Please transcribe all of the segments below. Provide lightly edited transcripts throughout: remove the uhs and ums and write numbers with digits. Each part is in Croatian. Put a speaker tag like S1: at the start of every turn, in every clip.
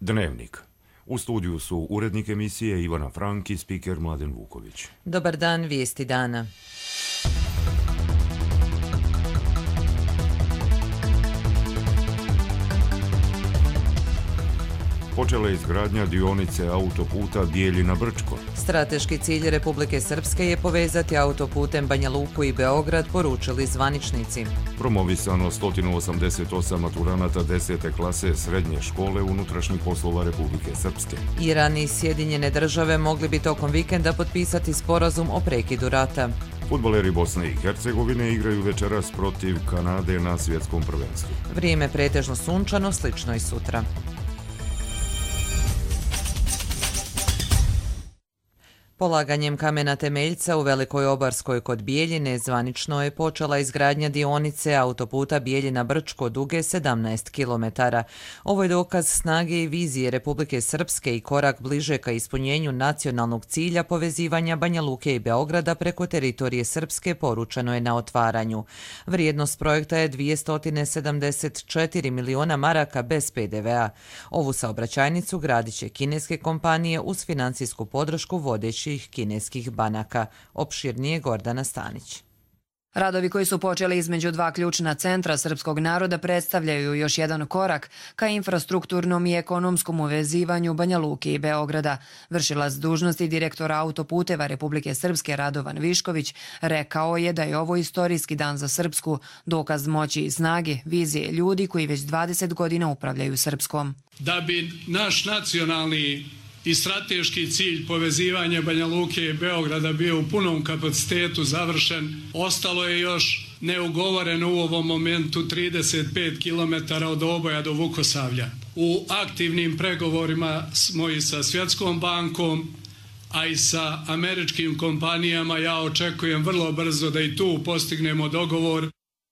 S1: Dnevnik. U studiju su urednik emisije Ivana Frank i spiker Mladen Vuković.
S2: Dobar dan, vijesti dana.
S1: Počela je izgradnja dionice autoputa Bijeljina-Brčko.
S2: Strateški cilj Republike Srpske je povezati autoputem Banja Luku i Beograd, poručili zvaničnici.
S1: Promovisano 188 maturanata 10. klase srednje škole unutrašnjih poslova Republike Srpske.
S2: Iran i Sjedinjene države mogli bi tokom vikenda potpisati sporazum o prekidu rata.
S1: Fudbaleri Bosne i Hercegovine igraju večeras protiv Kanade na svjetskom prvenstvu.
S2: Vrijeme pretežno sunčano, slično i sutra. Polaganjem kamena temeljca u Velikoj Obarskoj kod Bijeljine zvanično je počela izgradnja dionice autoputa Bijeljina-Brčko duge 17 km. Ovo je dokaz snage i vizije Republike Srpske i korak bliže ka ispunjenju nacionalnog cilja povezivanja Banja Luke i Beograda preko teritorije Srpske, poručeno je na otvaranju. Vrijednost projekta je 274 miliona maraka bez PDV-a. Ovu saobraćajnicu gradit će kineske kompanije uz financijsku podršku vodećih kineskih banaka. Opširnije Gordana Stanić.
S3: Radovi koji su počeli između dva ključna centra srpskog naroda predstavljaju još jedan korak ka infrastrukturnom i ekonomskom uvezivanju Banja Luke i Beograda. Vršilac dužnosti direktora autoputeva Republike Srpske Radovan Višković rekao je da je ovo istorijski dan za Srpsku, dokaz moći i snage, vizije ljudi koji već 20 godina upravljaju Srpskom.
S4: Da bi naš nacionalni i strateški cilj povezivanja Banja Luke i Beograda bio u punom kapacitetu završen, ostalo je još neugovoreno u ovom momentu 35 km od Oboja do Vukosavlja. U aktivnim pregovorima smo i sa Svjetskom bankom, a i sa američkim kompanijama. Ja očekujem vrlo brzo da i tu postignemo dogovor.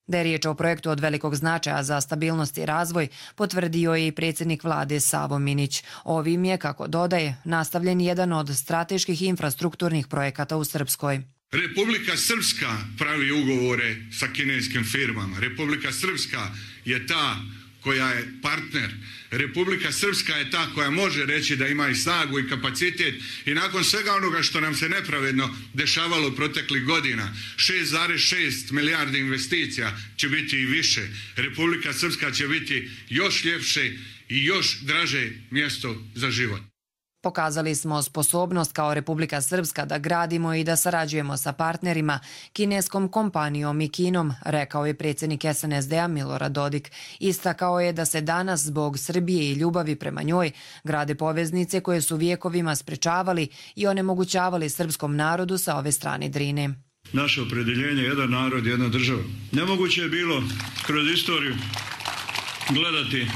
S3: Da je riječ o projektu od velikog značaja za stabilnost i razvoj, potvrdio je i predsjednik vlade Savo Minić. Ovim je, kako dodaje, nastavljen jedan od strateških infrastrukturnih projekata u Srpskoj.
S5: Republika Srpska pravi ugovore sa kineskim firmama. Republika Srpska je ta koja je partner. Republika Srpska je ta koja može reći da ima i snagu i kapacitet i nakon svega onoga što nam se nepravedno dešavalo proteklih godina, 6,6 milijardi investicija će biti i više. Republika Srpska će biti još ljepše i još draže mjesto za život.
S3: Pokazali smo sposobnost kao Republika Srpska da gradimo i da sarađujemo sa partnerima, kineskom kompanijom i Kinom, rekao je predsjednik SNSD-a Milorad Dodik. Istakao je da se danas zbog Srbije i ljubavi prema njoj grade poveznice koje su vijekovima sprečavali i onemogućavali srpskom narodu sa ove strane Drine.
S6: Naše opredjeljenje je jedan narod, jedna država. Nemoguće je bilo kroz istoriju gledati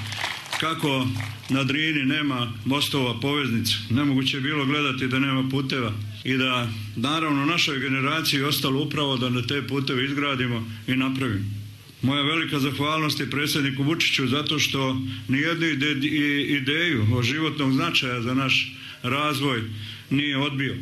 S6: kako na Drini nema mostova, poveznica. Nemoguće je bilo gledati da nema puteva i da naravno našoj generaciji ostalo upravo da na te puteve izgradimo i napravimo. Moja velika zahvalnost je predsjedniku Vučiću zato što nijednu ideju o životnog značaja za naš razvoj nije odbio.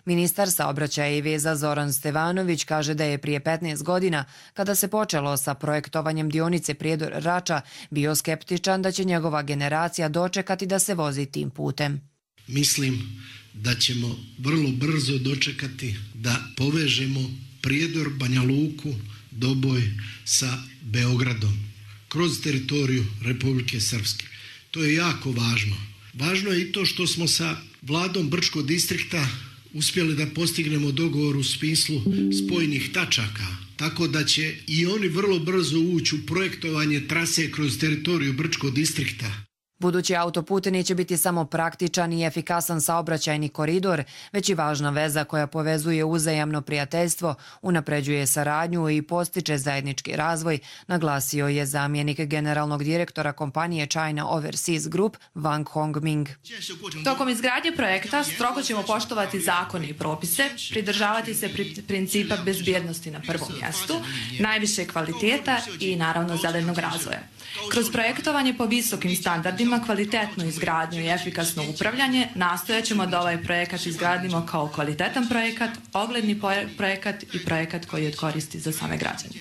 S3: Ministar saobraćaja i veza Zoran Stevanović kaže da je prije 15 godina, kada se počelo sa projektovanjem dionice Prijedor-Rača, bio skeptičan da će njegova generacija dočekati da se vozi tim putem.
S7: Mislim da ćemo vrlo brzo dočekati da povežemo Prijedor, Banja Luku, Doboj sa Beogradom kroz teritoriju Republike Srpske. To je jako važno. Važno je i to što smo sa vladom Brčkog distrikta uspjeli da postignemo dogovor u smislu spojnih tačaka, tako da će i oni vrlo brzo ući u projektovanje trase kroz teritoriju Brčkog distrikta.
S3: Budući autoput neće biti samo praktičan i efikasan saobraćajni koridor, već i važna veza koja povezuje uzajamno prijateljstvo, unapređuje saradnju i postiče zajednički razvoj, naglasio je zamjenik generalnog direktora kompanije China Overseas Group Wang Hongming.
S8: Tokom izgradnje projekta strogo ćemo poštovati zakone i propise, pridržavati se principa bezbjednosti na prvom mjestu, najviše kvaliteta i naravno zelenog razvoja. Kroz projektovanje po visokim standardima, kvalitetnu izgradnju i efikasno upravljanje nastojat ćemo da ovaj projekat izgradimo kao kvalitetan projekat, ogledni projekat i projekat koji je od koristi za same građane.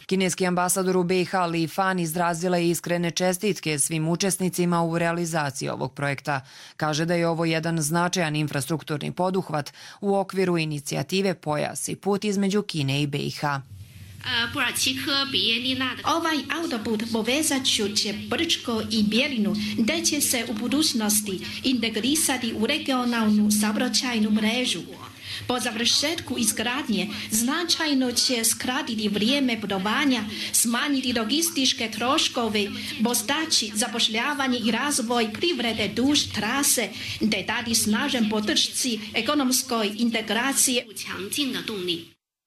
S3: Kineski ambasador u BiH Li Fan izrazila je iskrene čestitke svim učesnicima u realizaciji ovog projekta. Kaže da je ovo jedan značajan infrastrukturni poduhvat u okviru inicijative Pojas i put između Kine i BiH.
S9: Ovaj autoput povezat će Brčko i Bijeljinu, gdje će se u budućnosti integrisati u regionalnu saobraćajnu mrežu. Po završetku izgradnje značajno će skratiti vrijeme putovanja, smanjiti logističke troškove, postaći zapošljavanje i razvoj privrede duž trase, te dati snažan podršci ekonomskoj integraciji.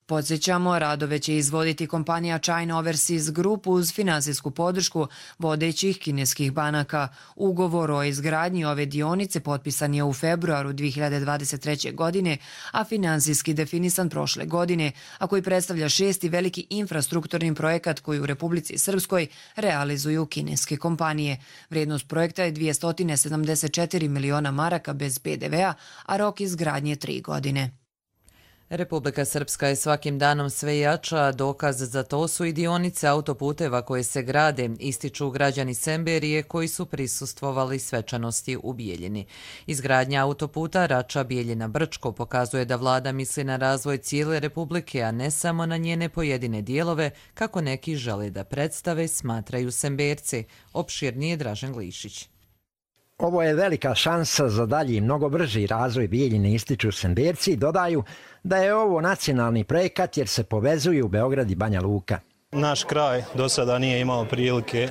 S3: Podsjećamo, radove će izvoditi kompanija China Overseas Group uz finansijsku podršku vodećih kineskih banaka. Ugovor o izgradnji ove dionice potpisan je u februaru 2023. godine, a finansijski definisan prošle godine, a koji predstavlja 6. veliki infrastrukturni projekat koji u Republici Srpskoj realizuju kineske kompanije. Vrijednost projekta je 274 miliona maraka bez PDV-a, a rok izgradnje 3 godine.
S2: Republika Srpska je svakim danom sve jača, dokaz za to su i dionice autoputeva koje se grade, ističu građani Semberije koji su prisustvovali svečanosti u Bijeljini. Izgradnja autoputa Rača-Bijeljina-Brčko pokazuje da vlada misli na razvoj cijele Republike, a ne samo na njene pojedine dijelove, kako neki žele da predstave, smatraju Semberci. Opširnije Dražen Glišić.
S10: Ovo je velika šansa za dalji i mnogo brži razvoj Bijeljine, ističu Semberci i dodaju da je ovo nacionalni projekat jer se povezuju Beograd i Banja Luka.
S11: Naš kraj do sada nije imao prilike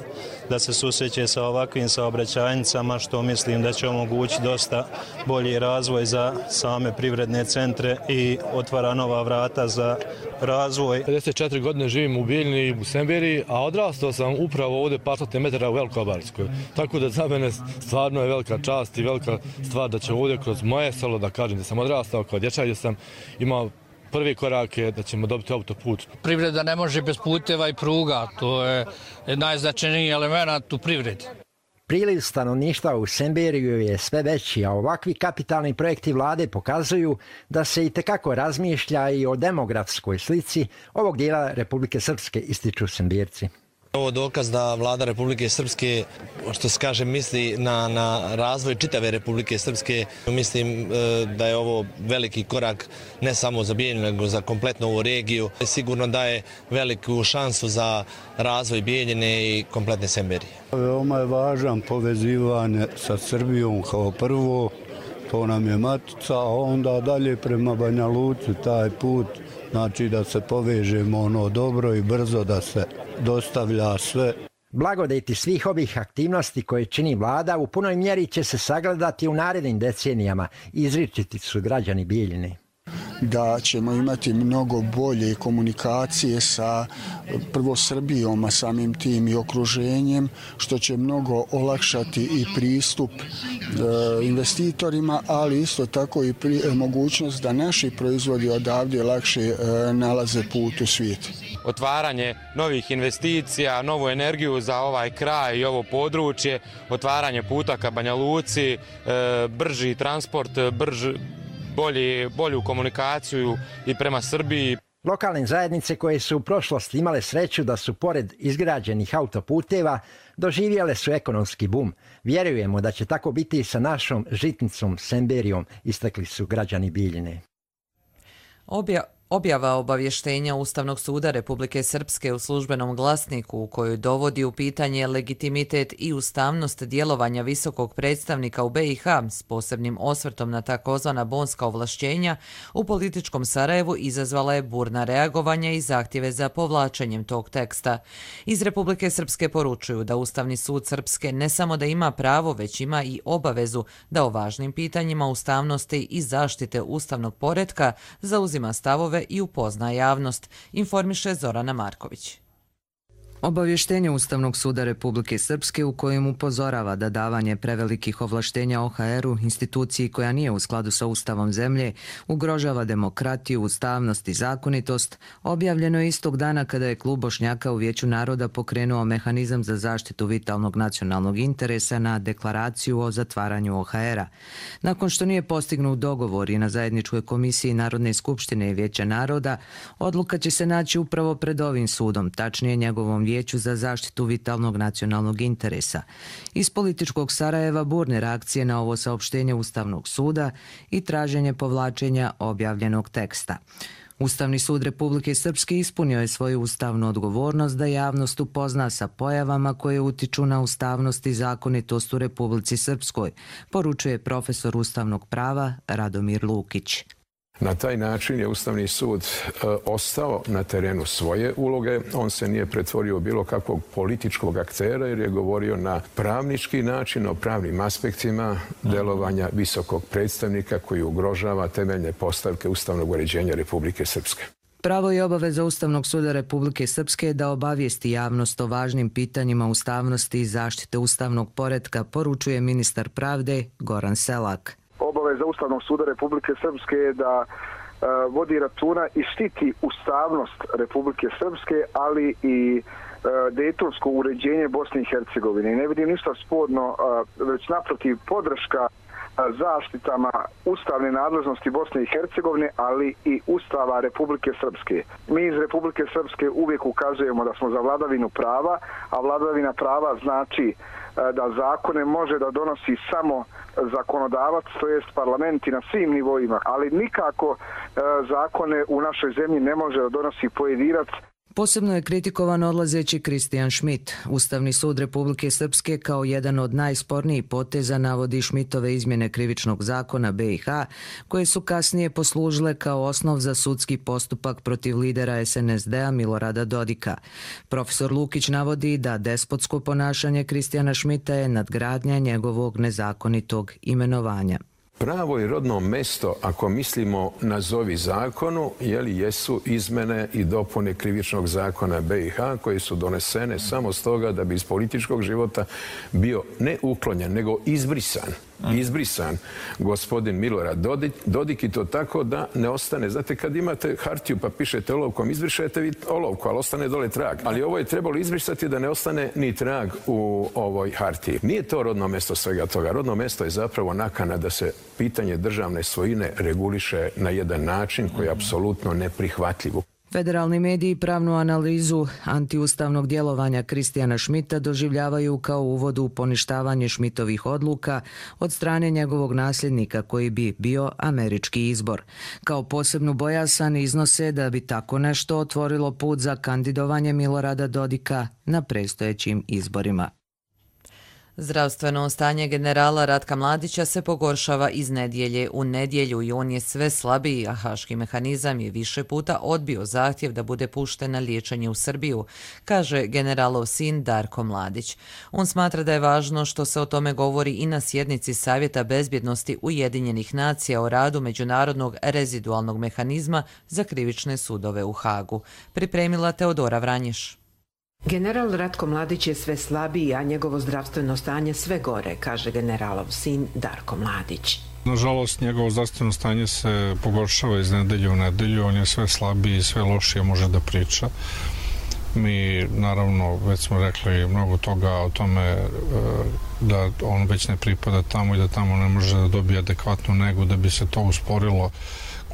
S11: da se susreće sa ovakvim saobraćajnicama, što mislim da će omogućiti dosta bolji razvoj za same privredne centre i otvara nova vrata za razvoj.
S12: 54 godine živim u Bijeljini i u Semberiji, a odrastao sam upravo ovdje par stotina metara u Velikobarskoj. Tako da za mene stvarno je velika čast i velika stvar da će ovdje kroz moje selo, da kažem da sam odrastao kao dječak, gdje sam imao prvi korak je da ćemo dobiti autoput.
S13: Privreda ne može bez puteva i pruga, to je najznačajniji element u privredi.
S10: Priliv stanovništva u Semberiju je sve veći, a ovakvi kapitalni projekti vlade pokazuju da se itekako razmišlja i o demografskoj slici ovog dijela Republike Srpske, ističu Semberci.
S14: Ovo je dokaz da vlada Republike Srpske, što se kaže, misli na razvoj čitave Republike Srpske. Mislim da je ovo veliki korak ne samo za Bijeljinu, nego za kompletnu ovu regiju. Sigurno daje veliku šansu za razvoj Bijeljine i kompletne Semberije.
S6: Veoma je važan povezivanje sa Srbijom kao prvo, to nam je matica, a onda dalje prema Banja Luci taj put, znači da se povežemo dobro i brzo da se dostavlja sve.
S10: Blagodeti svih ovih aktivnosti koje čini vlada u punoj mjeri će se sagledati u narednim decenijama, izričiti su građani Bijeljine.
S15: Da ćemo imati mnogo bolje komunikacije sa prvo Srbijom, a samim tim i okruženjem, što će mnogo olakšati i pristup investitorima, ali isto tako i mogućnost da naši proizvodi odavde lakše nalaze put u svijetu.
S16: Otvaranje novih investicija, novu energiju za ovaj kraj i ovo područje, otvaranje puta ka Banja Luci, brži transport, bolju komunikaciju i prema Srbiji.
S10: Lokalne zajednice koje su u prošlosti imale sreću da su pored izgrađenih autoputeva doživjele su ekonomski bum. Vjerujemo da će tako biti i sa našom žitnicom Semberijom, istakli su građani Bijeljine.
S2: Objava obavještenja Ustavnog suda Republike Srpske u službenom glasniku u kojoj dovodi u pitanje legitimitet i ustavnost djelovanja visokog predstavnika u BiH s posebnim osvrtom na takozvana bonska ovlašćenja u političkom Sarajevu izazvala je burna reagovanja i zahtjeve za povlačenjem tog teksta. Iz Republike Srpske poručuju da Ustavni sud Srpske ne samo da ima pravo, već ima i obavezu da o važnim pitanjima ustavnosti i zaštite ustavnog poretka zauzima stavove i upozna javnost, informiše Zorana Marković.
S3: Obavještenje Ustavnog suda Republike Srpske u kojem upozorava da davanje prevelikih ovlaštenja OHR-u, instituciji koja nije u skladu sa Ustavom zemlje, ugrožava demokratiju, ustavnost i zakonitost, objavljeno je istog dana kada je Klub Bošnjaka u Vijeću naroda pokrenuo mehanizam za zaštitu vitalnog nacionalnog interesa na deklaraciju o zatvaranju OHR-a. Nakon što nije postignut dogovor i na zajedničkoj komisiji Narodne skupštine i Vijeća naroda, odluka će se naći upravo pred ovim sudom, tačnije njegovom Vijeću za zaštitu vitalnog nacionalnog interesa. Iz političkog Sarajeva burne reakcije na ovo saopštenje Ustavnog suda i traženje povlačenja objavljenog teksta. Ustavni sud Republike Srpske ispunio je svoju ustavnu odgovornost da javnost upozna sa pojavama koje utiču na ustavnost i zakonitost u Republici Srpskoj, poručuje profesor ustavnog prava Radomir Lukić.
S17: Na taj način je Ustavni sud ostao na terenu svoje uloge. On se nije pretvorio u bilo kakvog političkog aktera jer je govorio na pravnički način o pravnim aspektima delovanja visokog predstavnika koji ugrožava temeljne postavke ustavnog uređenja Republike Srpske.
S3: Pravo i obaveza Ustavnog suda Republike Srpske je da obavijesti javnost o važnim pitanjima ustavnosti i zaštite ustavnog poretka, poručuje ministar pravde Goran Selak.
S18: Obaveza Ustavnog suda Republike Srpske je da vodi računa i štiti ustavnost Republike Srpske, ali i dejtonsko uređenje Bosne i Hercegovine. Ne vidim ništa sporno, već naprotiv podrška zaštitama ustavne nadležnosti Bosne i Hercegovine, ali i Ustava Republike Srpske. Mi iz Republike Srpske uvijek ukazujemo da smo za vladavinu prava, a vladavina prava znači da zakone može da donosi samo zakonodavac, to jest parlamenti na svim nivoima, ali nikako zakone u našoj zemlji ne može da donosi pojedinac.
S3: Posebno je kritikovan odlazeći Kristijan Šmit. Ustavni sud Republike Srpske kao jedan od najspornijih poteza navodi Šmitove izmjene krivičnog zakona BiH, koje su kasnije poslužile kao osnov za sudski postupak protiv lidera SNSD-a Milorada Dodika. Profesor Lukić navodi da despotsko ponašanje Kristijana Šmita je nadgradnja njegovog nezakonitog imenovanja.
S17: Pravo i rodno mesto, ako mislimo nazovi zakonu, jesu izmene i dopune krivičnog zakona BiH koje su donesene samo stoga da bi iz političkog života bio ne uklonjen, nego izbrisan gospodin Milorad Dodik, i to tako da ne ostane. Znate, kad imate hartiju pa pišete olovkom, izbrišete vi olovku, ali ostane dole trag. Ali ovo je trebalo izbrisati da ne ostane ni trag u ovoj hartiji. Nije to rodno mesto svega toga. Rodno mesto je zapravo nakana da se pitanje državne svojine reguliše na jedan način koji je apsolutno neprihvatljiv.
S3: Federalni mediji pravnu analizu antiustavnog djelovanja Kristijana Šmita doživljavaju kao uvod u poništavanje Šmitovih odluka od strane njegovog nasljednika koji bi bio američki izbor. Kao posebnu bojazan iznose da bi tako nešto otvorilo put za kandidovanje Milorada Dodika na predstojećim izborima.
S2: Zdravstveno stanje generala Ratka Mladića se pogoršava iz nedjelje u nedjelju i on je sve slabiji, a haški mehanizam je više puta odbio zahtjev da bude pušten na liječenje u Srbiju, kaže generalov sin Darko Mladić. On smatra da je važno što se o tome govori i na sjednici Savjeta bezbjednosti Ujedinjenih nacija o radu Međunarodnog rezidualnog mehanizma za krivične sudove u Hagu. Pripremila Teodora Vranješ.
S19: General Ratko Mladić je sve slabiji, a njegovo zdravstveno stanje sve gore, kaže generalov sin Darko Mladić.
S20: Nažalost, njegovo zdravstveno stanje se pogoršava iz nedelje u nedelju, on je sve slabiji i sve lošije može da priča. Mi, naravno, već smo rekli mnogo toga o tome da on već ne pripada tamo i da tamo ne može da dobije adekvatnu negu da bi se to usporilo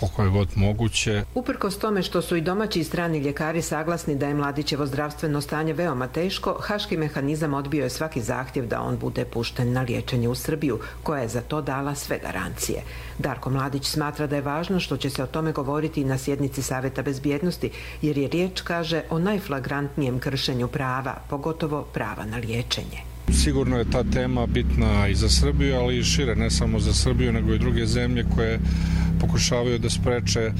S20: koliko je god moguće.
S19: Uprkos tome što su i domaći i strani ljekari saglasni da je Mladićevo zdravstveno stanje veoma teško, haški mehanizam odbio je svaki zahtjev da on bude pušten na liječenje u Srbiju, koja je za to dala sve garancije. Darko Mladić smatra da je važno što će se o tome govoriti i na sjednici Savjeta bezbjednosti, jer je riječ, kaže, o najflagrantnijem kršenju prava, pogotovo prava na liječenje.
S20: Sigurno je ta tema bitna i za Srbiju, ali i šire, ne samo za Srbiju, nego i druge zemlje koje pokušavaju da spreče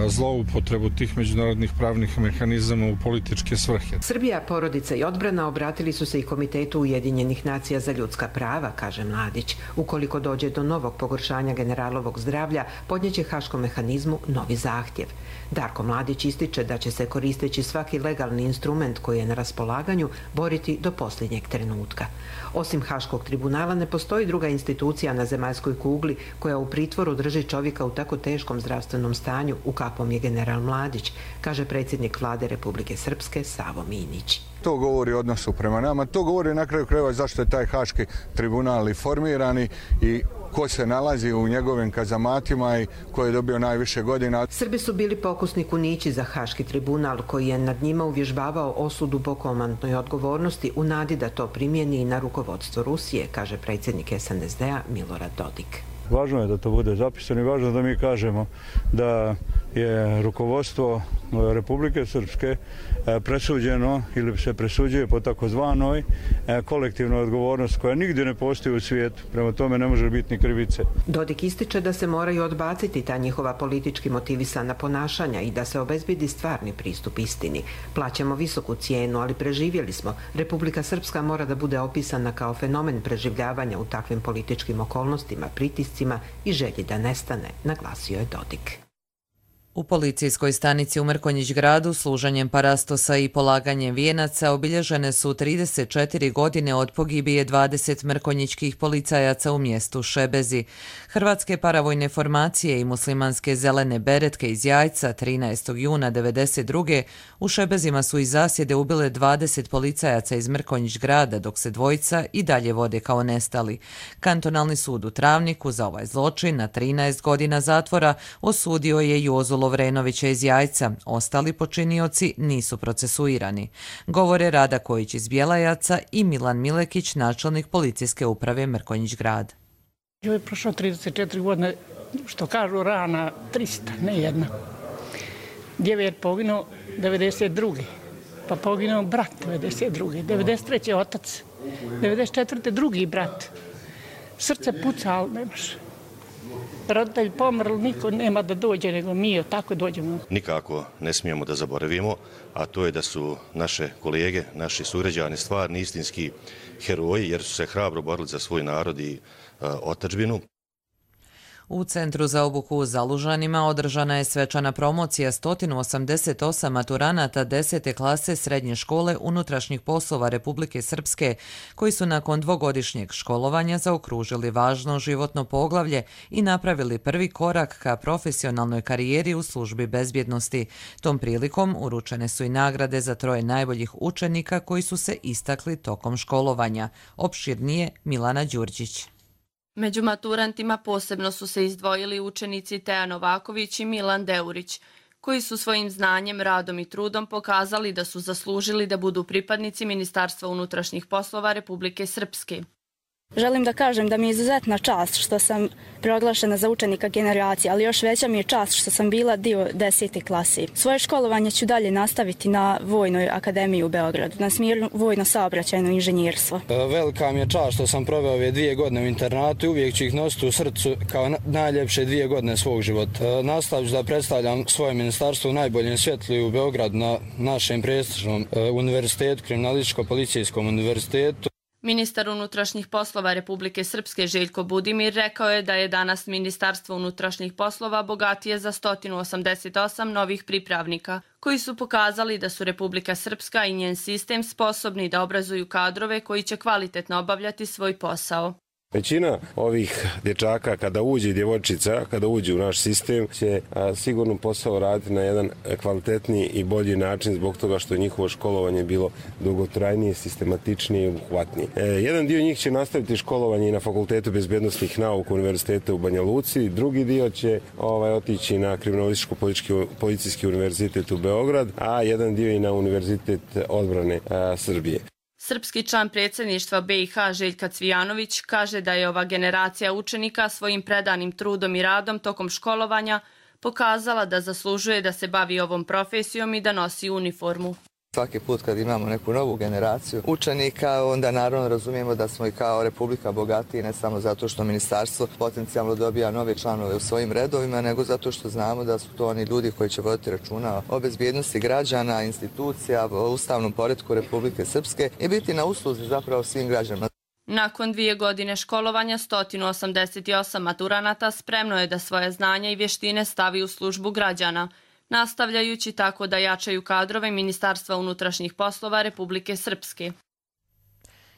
S20: zloupotrebu tih međunarodnih pravnih mehanizama u političke svrhe.
S19: Srbija, porodica i odbrana obratili su se i Komitetu Ujedinjenih nacija za ljudska prava, kaže Mladić. Ukoliko dođe do novog pogoršanja generalovog zdravlja, podnijeće Haškom mehanizmu novi zahtjev. Darko Mladić ističe da će se koristeći svaki legalni instrument koji je na raspolaganju boriti do posljednjeg trenutka. Osim Haškog tribunala ne postoji druga institucija na zemaljskoj kugli koja u pritvoru drži čovjeka u tako teškom zdravstvenom stanju u kakvom je general Mladić, kaže predsjednik vlade Republike Srpske Savo Minić.
S21: To govori o odnosu prema nama, to govori na kraju krajeva zašto je taj Haški tribunal i formirani i ko se nalazi u njegovim kazamatima i ko je dobio najviše godina.
S19: Srbi su bili pokusni kunići za Haški tribunal koji je nad njima uvježbavao osudu po komandnoj odgovornosti u nadi da to primijeni i na rukovodstvo Rusije, kaže predsjednik SNSD-a Milorad Dodik.
S6: Važno je da to bude zapisano i važno je da mi kažemo da je rukovodstvo Republike Srpske presuđeno ili se presuđuje po takozvanoj kolektivnoj odgovornosti koja nigdje ne postoji u svijetu. Prema tome ne može biti ni krivice.
S19: Dodik ističe da se moraju odbaciti ta njihova politički motivisana ponašanja i da se obezbedi stvarni pristup istini. Plaćamo visoku cijenu, ali preživjeli smo. Republika Srpska mora da bude opisana kao fenomen preživljavanja u takvim političkim okolnostima, pritiscima i želji da nestane, naglasio je Dodik.
S2: U policijskoj stanici u Mrkonjić gradu služenjem parastosa i polaganjem vijenaca obilježene su 34 godine od pogibije 20 mrkonjićkih policajaca u mjestu Šebezi. Hrvatske paravojne formacije i muslimanske zelene beretke iz Jajca 13. juna 1992. u Šebezima su iz zasjede ubile 20 policajaca iz Mrkonjić grada, dok se dvojica i dalje vode kao nestali. Kantonalni sud u Travniku za ovaj zločin na 13 godina zatvora osudio je Jozu Lovrenovića iz Jajca. Ostali počinioci nisu procesuirani. Govore Rada Kojić iz Bjelajaca i Milan Milekić, načelnik policijske uprave Mrkonjić grad.
S22: Je prošlo 34 godine, što kažu rana 300, ne jedna. Djeve je poginuo 92. Pa poginuo brat 92. 93. otac. 94. drugi brat. Srce puca, ali nemaš. Roditelj pomrl, niko nema da dođe, nego mi tako dođemo.
S23: Nikako ne smijemo da zaboravimo, a to je da su naše kolege, naši sugrađani stvarni istinski heroji, jer su se hrabro borili za svoj narod i otadžbinu.
S2: U Centru za obuku u Zalužanima održana je svečana promocija 188 maturanata 10. klase srednje škole unutrašnjih poslova Republike Srpske, koji su nakon dvogodišnjeg školovanja zaokružili važno životno poglavlje i napravili prvi korak ka profesionalnoj karijeri u službi bezbjednosti. Tom prilikom uručene su i nagrade za 3 najboljih učenika koji su se istakli tokom školovanja. Opširnije Milana Đurđić.
S24: Među maturantima posebno su se izdvojili učenici Teja Novaković i Milan Deurić, koji su svojim znanjem, radom i trudom pokazali da su zaslužili da budu pripadnici Ministarstva unutrašnjih poslova Republike Srpske.
S25: Želim da kažem da mi je izuzetna čast što sam proglašena za učenika generacije, ali još veća mi je čast što sam bila dio 10. klase. Svoje školovanje ću dalje nastaviti na Vojnoj akademiji u Beogradu, na smjeru vojno-saobraćajno inženjerstvo.
S26: Velika mi je čast što sam proveo ove 2 godine u internatu i uvijek ću ih nositi u srcu kao najljepše 2 godine svog života. Nastavit ću da predstavljam svoje ministarstvo u najboljem svjetlu u Beogradu na našem prestižnom univerzitetu, Kriminalističko-policijskom univerzitetu.
S24: Ministar unutrašnjih poslova Republike Srpske Željko Budimir rekao je da je danas Ministarstvo unutrašnjih poslova bogatije za 188 novih pripravnika, koji su pokazali da su Republika Srpska i njen sistem sposobni da obrazuju kadrove koji će kvalitetno obavljati svoj posao.
S27: Većina ovih dječaka kada uđe i djevojčica, kada uđe u naš sistem, će sigurno posao raditi na jedan kvalitetniji i bolji način zbog toga što je njihovo školovanje bilo dugotrajnije, sistematičnije i obuhvatnije. Jedan dio njih će nastaviti školovanje i na Fakultetu bezbjednosnih nauka Univerziteta u Banja Luci, drugi dio će otići na Kriminalističko-policijski univerzitet u Beograd, a jedan dio i na Univerzitet odbrane Srbije.
S24: Srpski član predsjedništva BiH Željka Cvijanović kaže da je ova generacija učenika svojim predanim trudom i radom tokom školovanja pokazala da zaslužuje da se bavi ovom profesijom i da nosi uniformu.
S1: Svaki put kad imamo neku novu generaciju učenika, onda naravno razumijemo da smo i kao Republika bogatiji, ne samo zato što ministarstvo potencijalno dobija nove članove u svojim redovima, nego zato što znamo da su to oni ljudi koji će voditi računa o bezbjednosti građana, institucija, o ustavnom poretku Republike Srpske i biti na usluzi zapravo svim građanima.
S24: Nakon 2 godine školovanja, 188 maturanata spremno je da svoje znanja i vještine stavi u službu građana, nastavljajući tako da jačaju kadrove Ministarstva unutrašnjih poslova Republike Srpske.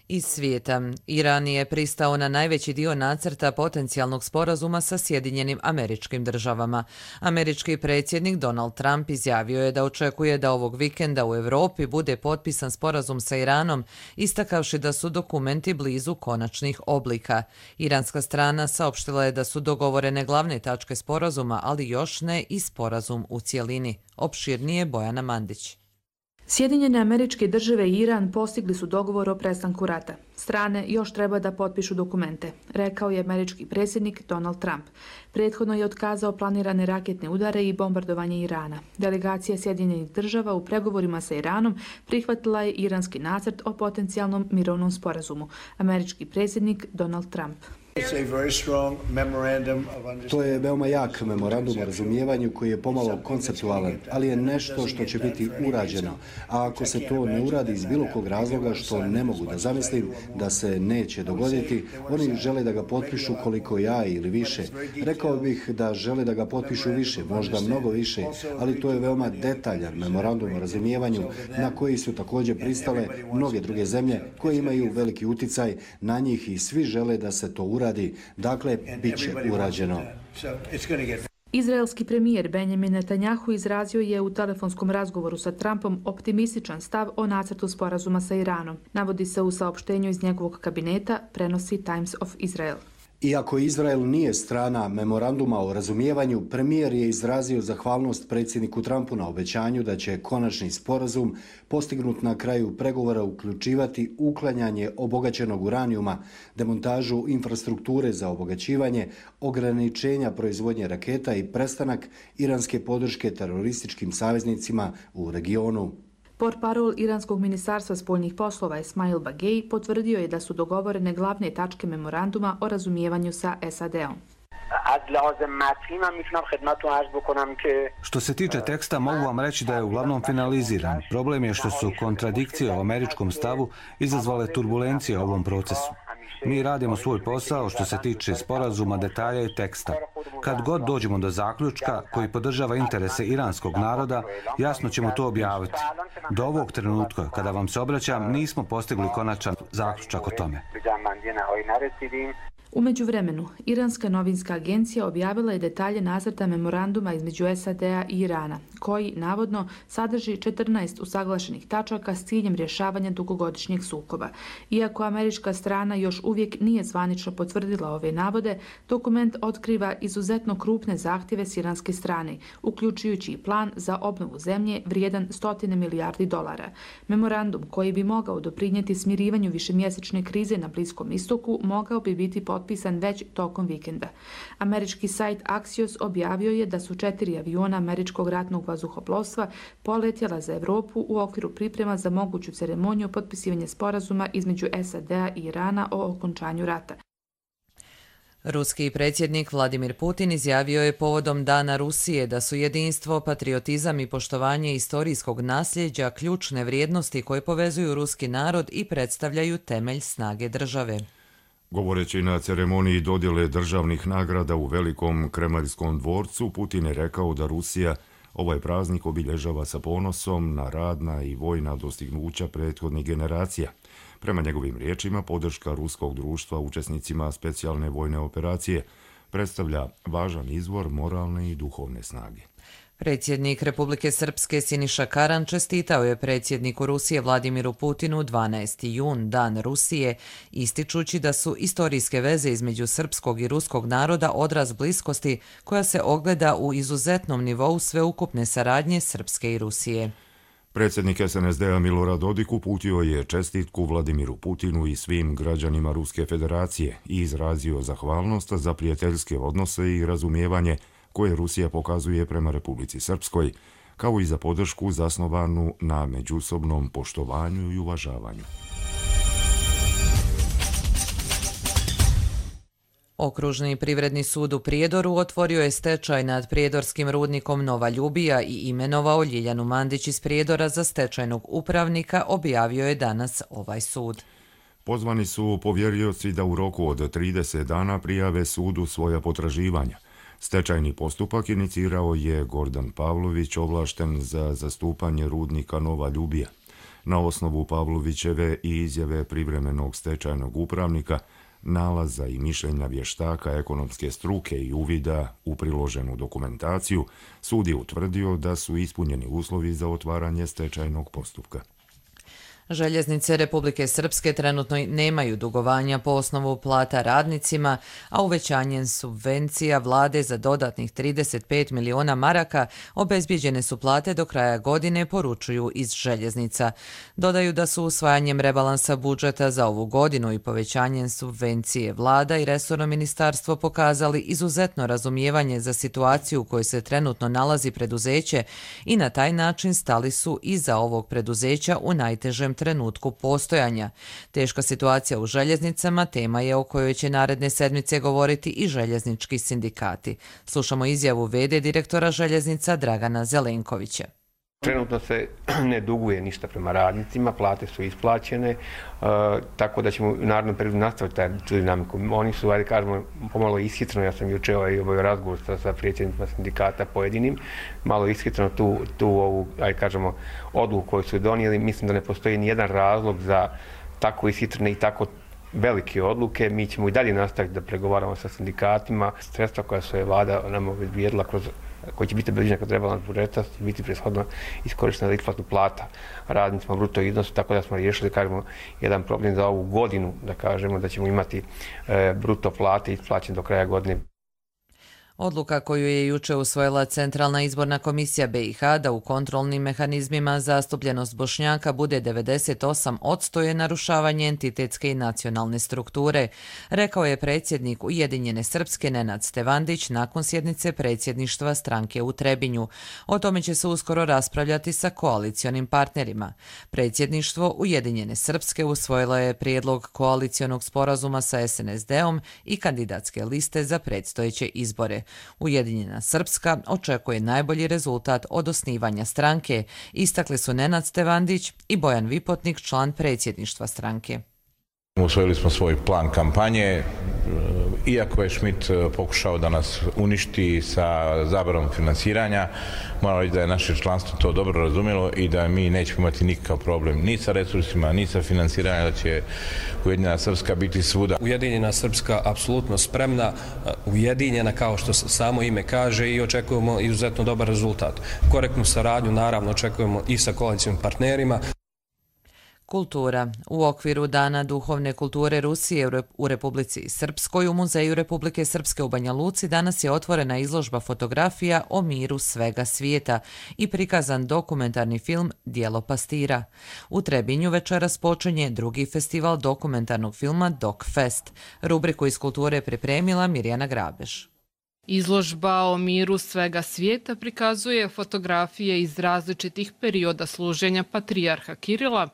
S2: Iz svijeta, Iran je pristao na najveći dio nacrta potencijalnog sporazuma sa Sjedinjenim Američkim Državama. Američki predsjednik Donald Trump izjavio je da očekuje da ovog vikenda u Europi bude potpisan sporazum sa Iranom, istakavši da su dokumenti blizu konačnih oblika. Iranska strana saopštila je da su dogovorene glavne tačke sporazuma, ali još ne i sporazum u cjelini. Opširnije Bojana Mandić.
S4: Sjedinjene Američke Države i Iran postigli su dogovor o prestanku rata. Strane još treba da potpišu dokumente, rekao je američki predsjednik Donald Trump. Prethodno je otkazao planirane raketne udare i bombardovanje Irana. Delegacija Sjedinjenih Država u pregovorima sa Iranom prihvatila je iranski nacrt o potencijalnom mirovnom sporazumu. Američki predsjednik Donald Trump.
S5: To je veoma jak memorandum o razumijevanju koji je pomalo konceptualan, ali je nešto što će biti urađeno. A ako se to ne uradi iz bilo kog razloga, što ne mogu da zamislim da se neće dogoditi, oni žele da ga potpišu koliko ja ili više. Rekao bih da žele da ga potpišu više, možda mnogo više, ali to je veoma detaljan memorandum o razumijevanju na koji su također pristale mnoge druge zemlje koje imaju veliki uticaj na njih i svi žele da se to uradi. Dakle, bit će urađeno.
S4: Izraelski premijer Benjamin Netanjahu izrazio je u telefonskom razgovoru sa Trumpom optimističan stav o nacrtu sporazuma sa Iranom. Navodi se u saopštenju iz njegovog kabineta, prenosi Times of Israel.
S5: Iako Izrael nije strana memoranduma o razumijevanju, premijer je izrazio zahvalnost predsjedniku Trumpu na obećanju da će konačni sporazum postignut na kraju pregovora uključivati uklanjanje obogaćenog uranijuma, demontažu infrastrukture za obogaćivanje, ograničenja proizvodnje raketa i prestanak iranske podrške terorističkim saveznicima u regionu.
S4: Portparol Iranskog ministarstva spoljnih poslova Esmail Bagej potvrdio je da su dogovorene glavne tačke memoranduma o razumijevanju sa SAD-om.
S7: Što se tiče teksta, mogu vam reći da je uglavnom finaliziran. Problem je što su kontradikcije o američkom stavu izazvale turbulencije u ovom procesu. Mi radimo svoj posao što se tiče sporazuma, detalja i teksta. Kad god dođemo do zaključka koji podržava interese iranskog naroda, jasno ćemo to objaviti. Do ovog trenutka, kada vam se obraćam, nismo postigli konačan zaključak o tome.
S4: U međuvremenu, Iranska novinska agencija objavila je detalje nacrta memoranduma između SAD-a i Irana, koji, navodno, sadrži 14 usaglašenih tačaka s ciljem rješavanja dugogodišnjeg sukoba. Iako američka strana još uvijek nije zvanično potvrdila ove navode, dokument otkriva izuzetno krupne zahtjeve s iranske strane, uključujući i plan za obnovu zemlje vrijedan $100 milijardi. Memorandum, koji bi mogao doprinijeti smirivanju višemjesečne krize na Bliskom istoku, mogao bi biti potpisan već tokom vikenda. Američki sajt Axios objavio je da su 4 aviona američkog ratnog vazduhoplovstva poletjela za Europu u okviru priprema za moguću ceremoniju potpisivanja sporazuma između SAD-a i Irana o okončanju rata.
S2: Ruski predsjednik Vladimir Putin izjavio je povodom Dana Rusije da su jedinstvo, patriotizam i poštovanje istorijskog nasljeđa ključne vrijednosti koje povezuju ruski narod i predstavljaju temelj snage države.
S8: Govoreći na ceremoniji dodjele državnih nagrada u Velikom Kremljskom dvorcu, Putin je rekao da Rusija ovaj praznik obilježava sa ponosom na radna i vojna dostignuća prethodnih generacija. Prema njegovim riječima, podrška ruskog društva učesnicima specijalne vojne operacije predstavlja važan izvor moralne i duhovne snage.
S2: Predsjednik Republike Srpske Siniša Karan čestitao je predsjedniku Rusije Vladimiru Putinu 12. jun, Dan Rusije, ističući da su istorijske veze između srpskog i ruskog naroda odraz bliskosti koja se ogleda u izuzetnom nivou sveukupne saradnje Srpske i Rusije.
S8: Predsjednik SNSD-a Milorad Dodik uputio je čestitku Vladimiru Putinu i svim građanima Ruske federacije i izrazio zahvalnost za prijateljske odnose i razumijevanje koje Rusija pokazuje prema Republici Srpskoj, kao i za podršku zasnovanu na međusobnom poštovanju i uvažavanju.
S2: Okružni privredni sud u Prijedoru otvorio je stečaj nad prijedorskim rudnikom Nova Ljubija i imenovao Ljiljanu Mandić iz Prijedora za stečajnog upravnika, objavio je danas ovaj sud.
S8: Pozvani su povjerioci da u roku od 30 dana prijave sudu svoja potraživanja. Stečajni postupak inicirao je Gordan Pavlović, ovlašten za zastupanje rudnika Nova Ljubija. Na osnovu Pavlovićeve i izjave privremenog stečajnog upravnika, nalaza i mišljenja vještaka ekonomske struke i uvida u priloženu dokumentaciju, sud je utvrdio da su ispunjeni uslovi za otvaranje stečajnog postupka.
S2: Željeznice Republike Srpske trenutno nemaju dugovanja po osnovu plata radnicima, a uvećanjem subvencija vlade za dodatnih 35 miliona maraka obezbijeđene su plate do kraja godine, poručuju iz željeznica. Dodaju da su usvajanjem rebalansa budžeta za ovu godinu i povećanjem subvencije vlada i resorno ministarstvo pokazali izuzetno razumijevanje za situaciju u kojoj se trenutno nalazi preduzeće i na taj način stali su iza ovog preduzeća u najtežem trenutku postojanja. Teška situacija u željeznicama tema je o kojoj će naredne sedmice govoriti i željeznički sindikati. Slušamo izjavu v.d. direktora željeznica Dragana Zelenkovića.
S9: Trenutno se ne duguje ništa prema radnicima, plate su isplaćene, tako da ćemo u narednom periodu nastaviti tu dinamiku. Oni su, ajde kažemo, pomalo ishitreno, ja sam juče obavio razgovor sa predsjednicima sindikata pojedinim, malo ishitreno tu ovu, ajde kažemo, odluku koju su donijeli. Mislim da ne postoji nijedan razlog za tako ishitrene i tako velike odluke. Mi ćemo i dalje nastaviti da pregovaramo sa sindikatima. Sredstva koja su je vlada nam obezbijedila koji će biti obezbijeđena kod rebalans budžeta, će biti preshodno iskorištena za isplatu plata radnicima bruto iznosu, tako da smo riješili, kažemo, jedan problem za ovu godinu, da kažemo da ćemo imati bruto plate isplaćene do kraja godine.
S2: Odluka koju je juče usvojila Centralna izborna komisija BiH da u kontrolnim mehanizmima zastupljenost Bošnjaka bude 98% je narušavanje entitetske i nacionalne strukture, rekao je predsjednik Ujedinjene Srpske Nenad Stevandić nakon sjednice predsjedništva stranke u Trebinju. O tome će se uskoro raspravljati sa koalicionim partnerima. Predsjedništvo Ujedinjene Srpske usvojilo je prijedlog koalicionog sporazuma sa SNSD-om i kandidatske liste za predstojeće izbore. Ujedinjena Srpska očekuje najbolji rezultat od osnivanja stranke, istakli su Nenad Stevandić i Bojan Vipotnik, član predsjedništva stranke.
S11: Usvojili smo svoj plan kampanje, iako je Schmidt pokušao da nas uništi sa zabranom finansiranja, moram reći da je naše članstvo to dobro razumjelo i da mi nećemo imati nikakav problem ni sa resursima, ni sa financiranjem, da će Ujedinjena Srpska biti svuda.
S12: Ujedinjena Srpska apsolutno spremna, ujedinjena kao što samo ime kaže i očekujemo izuzetno dobar rezultat. Korektnu saradnju naravno očekujemo i sa koalicijskim partnerima.
S2: Kultura. U okviru Dana duhovne kulture Rusije u Republici Srpskoj u Muzeju Republike Srpske u Banja Luci danas je otvorena izložba fotografija o miru svega svijeta i prikazan dokumentarni film Djelo pastira. U Trebinju večeras počinje drugi festival dokumentarnog filma Doc Fest. Rubriku iz kulture pripremila Mirjana Grabeš.
S13: Izložba o miru svega svijeta prikazuje fotografije iz različitih perioda služenja patrijarha Kirila,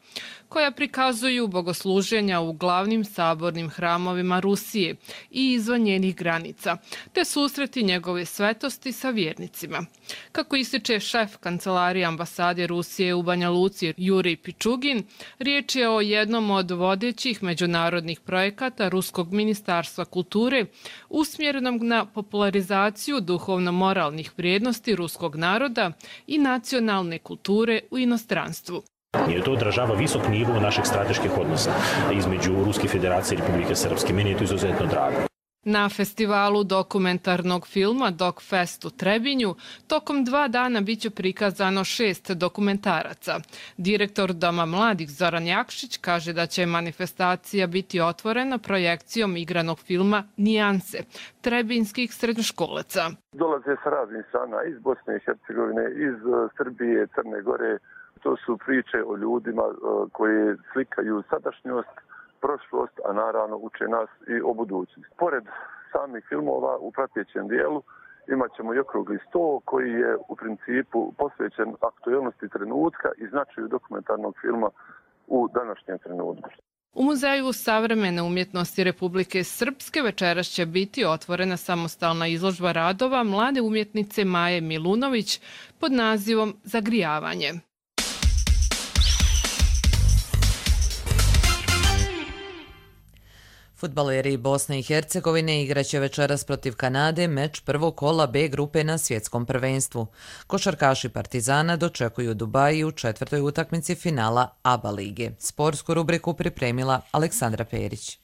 S13: koja prikazuju bogosluženja u glavnim sabornim hramovima Rusije i izvan njenih granica, te susreti njegove svetosti sa vjernicima. Kako ističe šef kancelarije ambasade Rusije u Banja Luci Jurij Pičugin, riječ je o jednom od vodećih međunarodnih projekata Ruskog ministarstva kulture usmjerenog na popularizaciju duhovno-moralnih vrijednosti ruskog naroda i nacionalne kulture u inostranstvu.
S14: I to odražava visok nivo naših strateških odnosa između Ruske federacije i Republike Srpske. Meni je to izuzetno drago.
S13: Na festivalu dokumentarnog filma Doc Fest u Trebinju tokom 2 dana biće prikazano 6 dokumentaraca. Direktor Doma mladih Zoran Jakšić kaže da će manifestacija biti otvorena projekcijom igranog filma Nijanse trebinskih srednjoškolaca.
S15: Dolaze sa raznih strana iz Bosne i Hercegovine, iz Srbije, Crne Gore. To su priče o ljudima koji slikaju sadašnjost, prošlost, a naravno uče nas i o budućnosti. Pored samih filmova u pratećem dijelu imat ćemo i okrugli sto koji je u principu posvećen aktuelnosti trenutka i značaju dokumentarnog filma u današnjem trenutku.
S13: U Muzeju savremene umjetnosti Republike Srpske večeras će biti otvorena samostalna izložba radova mlade umjetnice Maje Milunović pod nazivom Zagrijavanje.
S2: Fudbaleri Bosne i Hercegovine igraće večeras protiv Kanade meč prvog kola B grupe na svjetskom prvenstvu. Košarkaši Partizana dočekuju Dubaji u četvrtoj utakmici finala ABA lige. Sportsku rubriku pripremila Aleksandra Perić.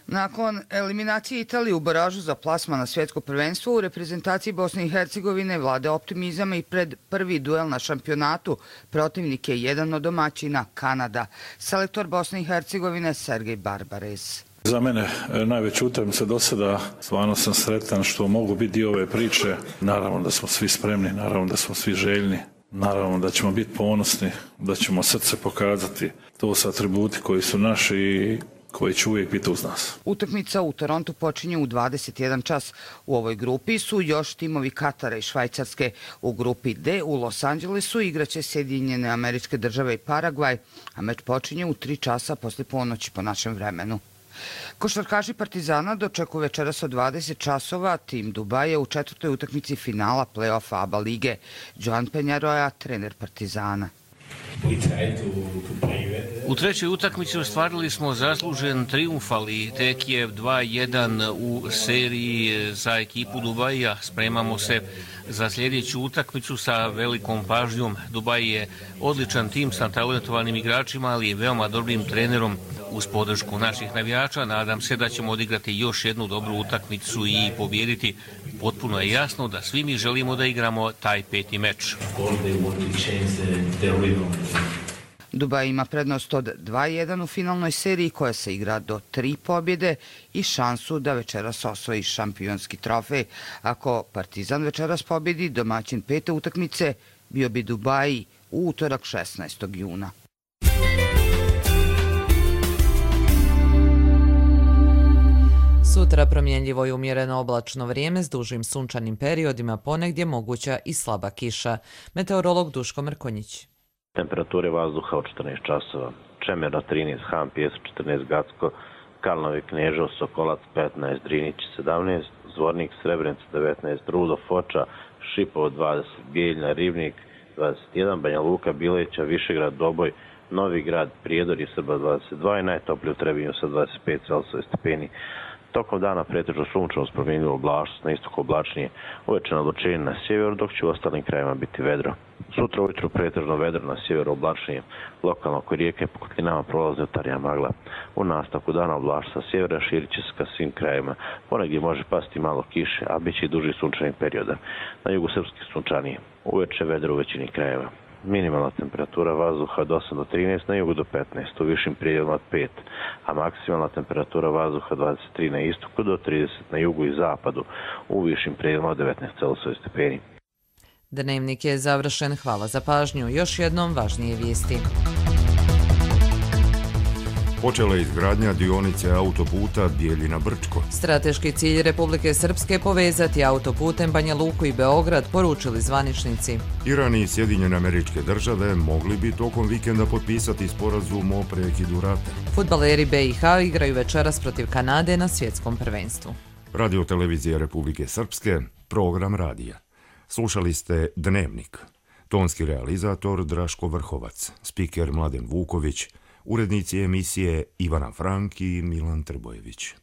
S3: Nakon eliminacije Italije u baražu za plasman na svjetsko prvenstvo, u reprezentaciji Bosne i Hercegovine vlade optimizam i pred prvi duel na šampionatu protivnik je jedan od domaćina Kanada. Selektor Bosne i Hercegovine Sergej Barbares.
S10: Za mene najveća utakmica do sada, stvarno sam sretan što mogu biti dio ove priče. Naravno da smo svi spremni, naravno da smo svi željni, naravno da ćemo biti ponosni, da ćemo srce pokazati. To su atributi koji su naši i koji će uvijek biti uz nas.
S3: Utakmica u Torontu počinje u 21 čas. U ovoj grupi su još timovi Katara i Švajcarske. U grupi D u Los Angelesu igraće Sjedinjene Američke Države i Paragvaj, a meč počinje u 3 časa posle ponoći po našem vremenu. Košarkaši Partizana dočekuju večeras od 20 časova tim Dubaja u četvrtoj utakmici finala play-offa ABA lige. Joan Penjaroja, trener Partizana.
S16: U trećoj utakmici ostvarili smo zaslužen trijumf, ali tek je 2-1 u seriji za ekipu Dubaja. Spremamo se za sljedeću utakmicu sa velikom pažnjom. Dubaj je odličan tim sa talentovanim igračima, ali i veoma dobrim trenerom. Uz podršku naših navijača nadam se da ćemo odigrati još jednu dobru utakmicu i pobijediti. Potpuno je jasno da svi mi želimo da igramo taj peti meč.
S3: Dubaj ima prednost od 2-1 u finalnoj seriji koja se igra do 3 pobjede i šansu da večeras osvoji šampionski trofej. Ako Partizan večeras pobjedi, domaćin pete utakmice bio bi Dubaji u utorak 16. juna.
S2: Sutra promjenljivo i umjereno oblačno vrijeme s dužim sunčanim periodima, ponegdje moguća i slaba kiša. Meteorolog Duško Mrkonjić.
S17: Temperature vazduha od 14 časova. Čemerno 13, Han, Pijesu 14, Gacko, Kalnovi, Kneževo, Sokolac 15, Drinić 17, Zvornik, Srebrenica 19, Rudo, Foča, Šipovo 20, Bijeljna, Ribnik 21, Banja Luka, Bileća, Višegrad, Doboj, Novi Grad, Prijedor i Srba 22 i najtoplije u Trebinju sa 25 Celsijusa stepeni. Tokom dana pretežno sunčano s promjenjivom oblačnost, na istoku oblačnije, uveče nadločenje na sjeveru, dok će u ostalim krajevima biti vedro. Sutra ujutru pretežno vedro na sjeveru oblačnije, lokalno oko rijeke po kotlinama prolaze utarija magla. U nastavku dana oblačnost sa sjevera širit će se ka svim krajevima, ponegdje može pasti malo kiše, a bit će i duži sunčani perioda. Na jugu srpski sunčanije, uveče vedro u većini krajeva. Minimalna temperatura vazduha od 8 do 13, na jugu do 15, u višim prijedjelima od 5, a maksimalna temperatura vazduha 23 na istoku do 30 na jugu i zapadu, u višim prijedjelima od 19 Celsijusa stepeni.
S2: Dnevnik je završen. Hvala za pažnju. Još jednom važnije vijesti.
S8: Počela je izgradnja dionice autoputa Bijeljina-Brčko.
S2: Strateški cilj Republike Srpske povezati autoputem Banja Luku i Beograd, poručili zvaničnici.
S8: Iran i Sjedinjene Američke Države mogli bi tokom vikenda potpisati sporazum o prekidu rata.
S2: Fudbaleri BiH igraju večeras protiv Kanade na svjetskom prvenstvu.
S8: Radio televizija Republike Srpske, program radija. Slušali ste Dnevnik. Tonski realizator Draško Vrhovac, spiker Mladen Vuković, urednici emisije Ivana Frank i Milan Trbojević.